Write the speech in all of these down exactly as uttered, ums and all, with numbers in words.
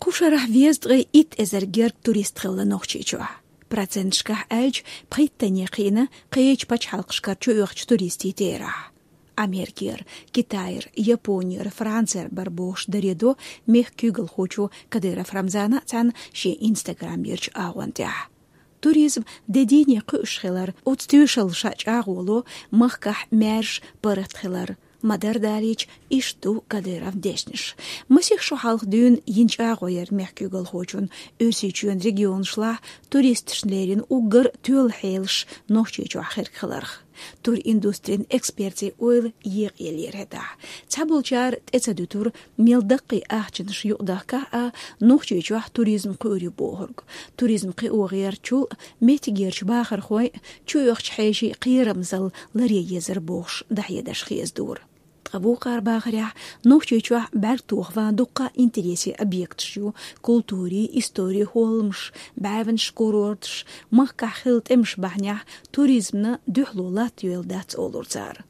Кху шарахь везткъе итт эзар герга турист хилла Нохчийчохь. Проценташкахь аьлча, пхийттанна кхиъна кхечу пачхьалкхашкара чуоьхучу туристийн терахь. Америкера, Китайра, Японера, Францера бара бохуш даре до мехкан куьйгалхочо Кадыров Рамзана а цхьаьна шен Instagram-ерчу агӀон тӀехь. Туризм де дийне кхуьуш хилар, оцу тоьшаллаша чӀагӀо ло махкахь маьрша паргӀат хилар. Ма-дарра далийча, иштта ду Кадыровн дешнаш. Масех шо хьалха дуьйна йина чӀагӀо яра мехкан куьйгалхочун Оьрсийчоьнан регионашлахь туристашна леррина уггар тоьлла хьелаш Нохчийчохь хирг хиларх. Туриндустрин экспертийн ойла екъаелира хӀетахь. Цхьаболчара тӀе ца дуьтура, мел даккхий ахчанаш юкъадахкахь а, Нохчийчохь туризм кхуьур ю бохург. Туризм кхио гӀертачул а меттигерчу бахархойн а, чуоьхучу хьешийн кхерамзалла ларъе езар бохуш дӀахьедеш хезадора. Ткъа вукхара бахарехь, Нохчийчохь бӀаьрг тоха ван дуккха а интересийн объекташ ю: культурин, историн хӀолламаш, бӀаьвнаш, курорташ. Махкахь хилла тӀемаш бахьанехь туризмна дуьхьало латтайойла дац, олура цара.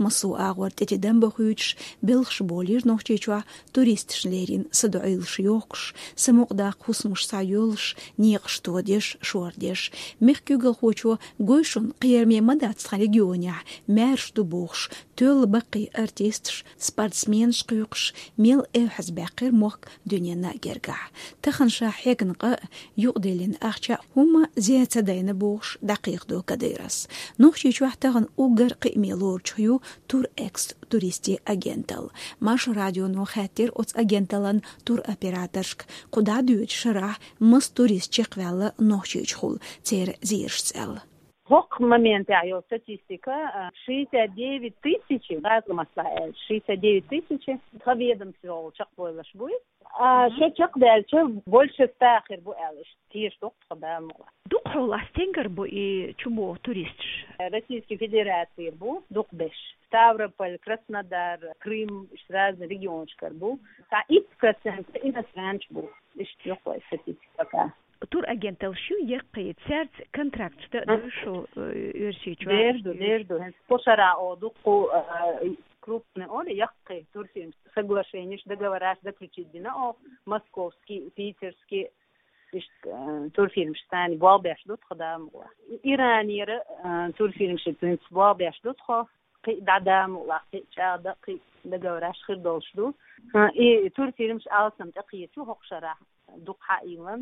Массо а агӀор тӀе-тӀе дам бахуьйтуш, белхаш болийра Нохчийчохь туристашна леррина садоӀийлаш йохкуш, самукъадаккха хӀусамаш схьайолуш, некъаш тодеш, шордеш. Мехкан куьйгалхочо гой шуна, кхераме ма дац тхан регионехь, маьрша ду бохуш, тоьлла баккхий артисташ, спортсменаш кхуьйкхуш, мел эвхьазбаьккхира мохк дуьненна гергахь. Тахана ша хьегна къа а, юкъадиллина ахча а хӀумма зе ца дайна бохуш дӀакхайкхадо Кадыровс. Нохчийчохь тахана уггар кхиаме лоручух ю «Турэкс» туристийн агенталла. Маршо радионо хаьттира оцу агенталлан туроператоршка, кху дӀадоьдучу шарахь маса турист чекхваьлла Нохчийчухула, церан зерашца аьлла. ХӀокху моментехь йолу статистика, а, шестьдесят девять тысяч, гӀазкхийн маттахь аьлча, шестьдесят девять тысяч тхан ведомствехула чекхбевллаш буй. А, ша чекхдаьлча, больше ста хир бу аьлла, иштта теша ду-кх тхан, Дала мукъ лахь. Дукха хьолахь стенгара бу и чубогӀу туристаш? Российский Федерацера бу дукха берш. Ставрополь, Краснодар, Крым, иштта разный регионашкара бу. Цхьа итт процент иностранцаш бу. Иштта ю-кх вайн статистика пока. Турагенталлаш ю яккхий, цаьрца контракташ дан а ду шу, э, Оьрсийчохь? Дер ду, дер ду. ХӀинца кху шарахь оха дуккха, э, крупный, олу, яккхий турфирмаш соглашениеш, договораш заключить дина оха, московский, питерский, иштта, э, турфирмаш царна болх беш ду тхо, Дала мукъ лахь. Иранера, э, турфирмаш цуьнца болх беш ду тхо, кхин дӀа, Дала мукъ лахь, кхин чӀагӀдан, кхин договораш хир долуш ду. Э, и турфирмаш алсам тӀекхеча хӀокху шарахь дукха хьаийна,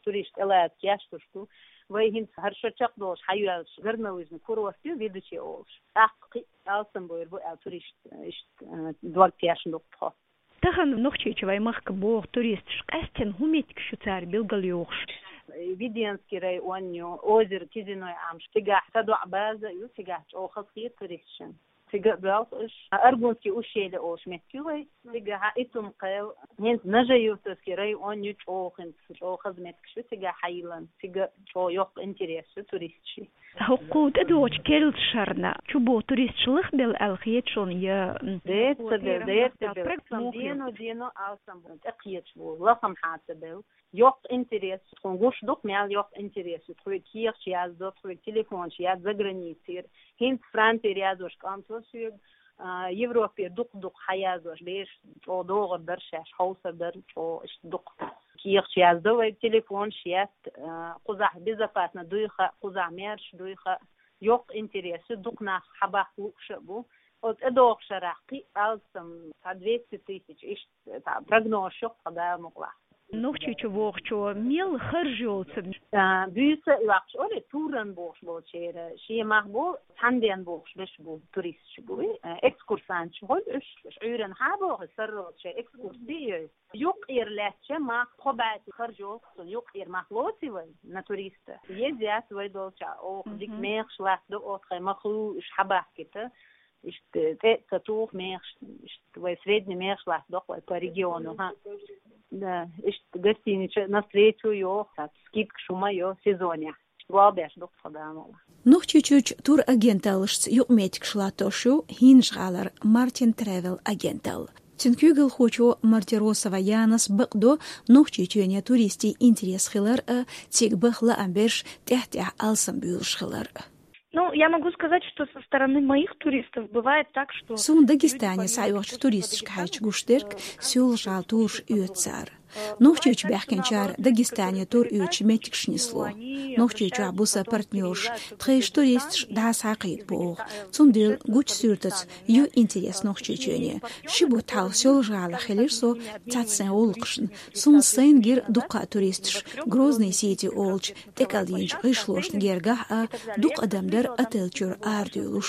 туристаш тӀелаца кечдеш ду. Вай хӀинца хӀара шо чекхдолуш хьайоьллуш горнолыжный курорт ю Ведучи олуш. ТӀаккха кхин алсам бовр бу аьлла туристаш, иштта, э, дог тешна ду-кх тхо. Тахана Нохчийчу вайн махка богӀу туристаш къаьсттина хӀун меттигаш ю цара билгалйохуш? Веденский район ю, озеро Кизиной Амш, цигахь садоӀу база ю, цигахь чӀогӀа хазахета туристашна. Цига а боьлху уьш. Аргунский ущелье олуш меттиг ю вай. Цигахь Итум-Кхел, хӀинца Нажи-Юртовский район ю, чӀогӀа хӀинца, чӀогӀа хаза меттигаш ю цигахь хьайиллина. Цига чӀогӀа йоккха интерес ю туристашна. ХӀокху тӀедогӀучу керлачу шарна чубогӀу туристаш лахбелла аьлла хета шуна, я, м, дерца бел, дерца бел. Дено, дено алсам бу, тӀекхеташ бу, лахам хьаца бел. Йоккха интерес, тхуна гуш ду-кх мел йоккха интерес ю, тхоьга кехаташ яздо, тхоьга телефонаш яздо заграницера. ХӀинца Францера яздеш кӀант вара соьга, а, Европера дукха-дукха хьаяздеш бераш, чӀогӀа догӀур дара шаьш, хьовсур дара, чӀогӀа иштта дукха кехаташ яздо вайга, телефонаш яздо, а, кхузахь безопасно дуй хаьа, кхузахь маьрша дуй хаьа. Йоккха интерес ю, дукха нах хьабаккха лууш а бу. Оцу тӀедогӀучу шарахь кхин а алсам, цхьа двести тысяч, иштта цхьа прогнозаш ю-кх тхан, Дала мукъ лахь. Нохчийчу вогӀучо мел харж йолу ца? А, буьйса а йоккхуш, олий, туран бохуш болчеран шен мах бу, цхьаьна бен бохуш берш бу, туристаш бу, а, экскурсанташ хуьлу уьш, уьш Ӏуьйранна хьа а бохуш, сарралц шайн экскурси а йой. Юккъера лаьттача мах, тхо баьцци харж йолу-кх цунна, юккъера мах лоций вай на туриста? Еза яц вай долчохь, оха дика мехаш латтадо, оха тхайн мах лу уьш хьабахкийта. Иштта тӀе а ца туху мехаш, иштта вай средний мехаш латтадо-кх вай по региону, хӀа. Да, иштта гостиница навстречу йоху, цхьа скидкаш хӀума йо сезонехь. Болх беш ду-кх тхо, Дала мукъ лахь. Нохчийчуьрчу турагенталлашца юкъаметтигаш латтош ю ХӀинжа-ГӀалара Мартин Тревел агенталла. Цуьнан куьйгалхочо Мартиросова Янас бакъдо Нохчийчоьне туристийн интерес хилар а, цига баха лаам берш тӀаьхь-тӀаьхьа алсам буьйлуш хилар а. Ну, я могу сказать, что со стороны моих туристов бывает так, что... Суна Дагестане схьаоьхучу туристашка хьаьжча гуш дерг, Соьлжа-ГӀала тураш оьцу цара. Нохчийчу баьхкинчара Дагестане тур оьцучу меттигашка нисло. Нохчийчохь бу сан партнерш, тхайн туристаш дӀасакхийта боху. Цундела гучу суьртаца ю интерес Нохчийчоьне. Ши бутт хьалха Соьлжа-ГӀалахь хилира со цхьацца сайн гӀуллакхашна. Суна сайна гира дуккха а туристаш Грозный-Сити олучу тӀекӀел йинчу гӀишлошна гергахь а, дукха адам дара отель чуьра арадуьйлуш.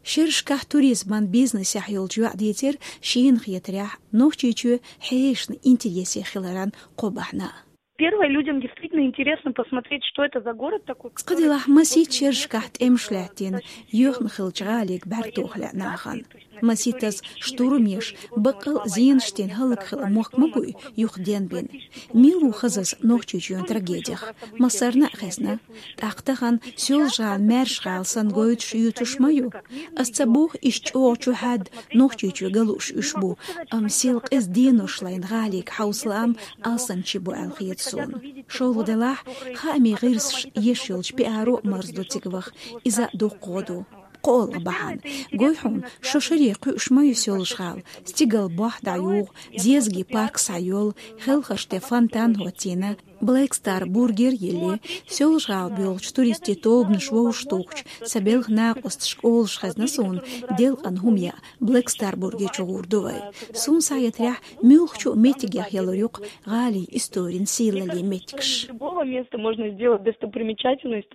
Шерашкахь туризман бизнесехь йолчу йоӀа дийцира, шена хетарехь, Нохчийчоь хьешашна интересе хиларан кхо бахьана. Первое, людям действительно интересно посмотреть, что это за город такой. Цкъа делахь, масийтта шерашкахь тӀемаш лаьттина, йоьхна хиллачу гӀалин бӀаьрг тоха лаьа нахана. Масийттаза штурмаш, баккъал а зенаш дина хӀаллакьхилла мохк ма буй юха денбина. Мила ву хаза аса Нохчийчоьнан трагедех? Массарна а хезна. ТӀаккха тахана Соьлжа-ГӀала маьрша гӀала санна гойтуш, юьйцуш ма ю. Ас ца боху, иштта чӀогӀа чухьаьдда Нохчийчоь галуш уьш бу, амма сел къиза денош лайна гӀалин хьовсалам алсамчи бу аьлла хета суна. ШолгӀа делахь, хаамийн гӀирсаша еш йолчу пиаро а марзо ду цига ваха, иза а дуккха гӀо ду. КхоалгӀа бахьана. Гой хьуна, шо шаре кхуьуш ма ю Соьлжа-ГӀала, стигал бохь дӀаюгӀу, зезагийн парк схьайолу, хелхарш тӀе фонтан хӀоттийна, Black Star Burger йиллина. Соьлжа-ГӀала боьлхучу туристийн тобанаш вовшахтухучу сан белхан накъосташка олуш хезна суна, делкъана хӀума яа Black Star Burger чу гӀур ду вай. Суна схьахетарехь, муьлххачу а меттигех ялур ю-кх гӀалин историн сийлаллин меттигаш. Любого места можно сделать достопримечательность.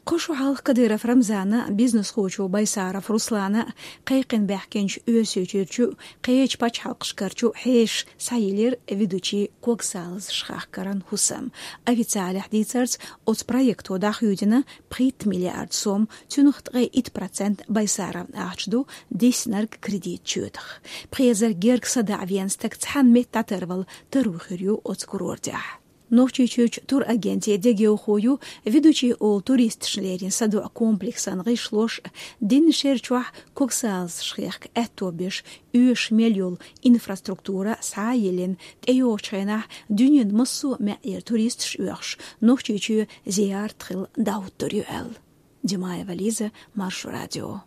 Кхо шо хьалха Кадыров Рамзана, бизнесхочо Байсаров Руслана, кхайкхина баьхкинчу Оьрсийчуьрчу, кхечу пачхьалкхашкарчу хьешаша схьайиллира Ведучи когсалазаш хахкаран хӀусам. Официалехь дийцарца, оцу проекто дӀахьедина пхийтта миллиард сом, цуьнах ткъе итт процент Байсаровн ахча ду, диснарг кредит чоьтах. Пхи эзар герга садаӀа веана стаг цхьана метта дӀатарвала таро хир ю оцу курортехь. Нохчийчуьрчу турагентийн дегайовхо ю Ведучи олу туристашна леррина садоӀу комплексан гӀишлош а, дийнна шер чохь когсалазаш хехка аьтто беш, оьшуш мел йолу инфраструктура схьа а йиллина, тӀейогӀучу хенахь дуьненан массо а маьӀӀера туристаш оьхуш, Нохчийчоь зиярт хила дӀахӀуттур ю аьлла. Димаева Лиза, Маршо радио.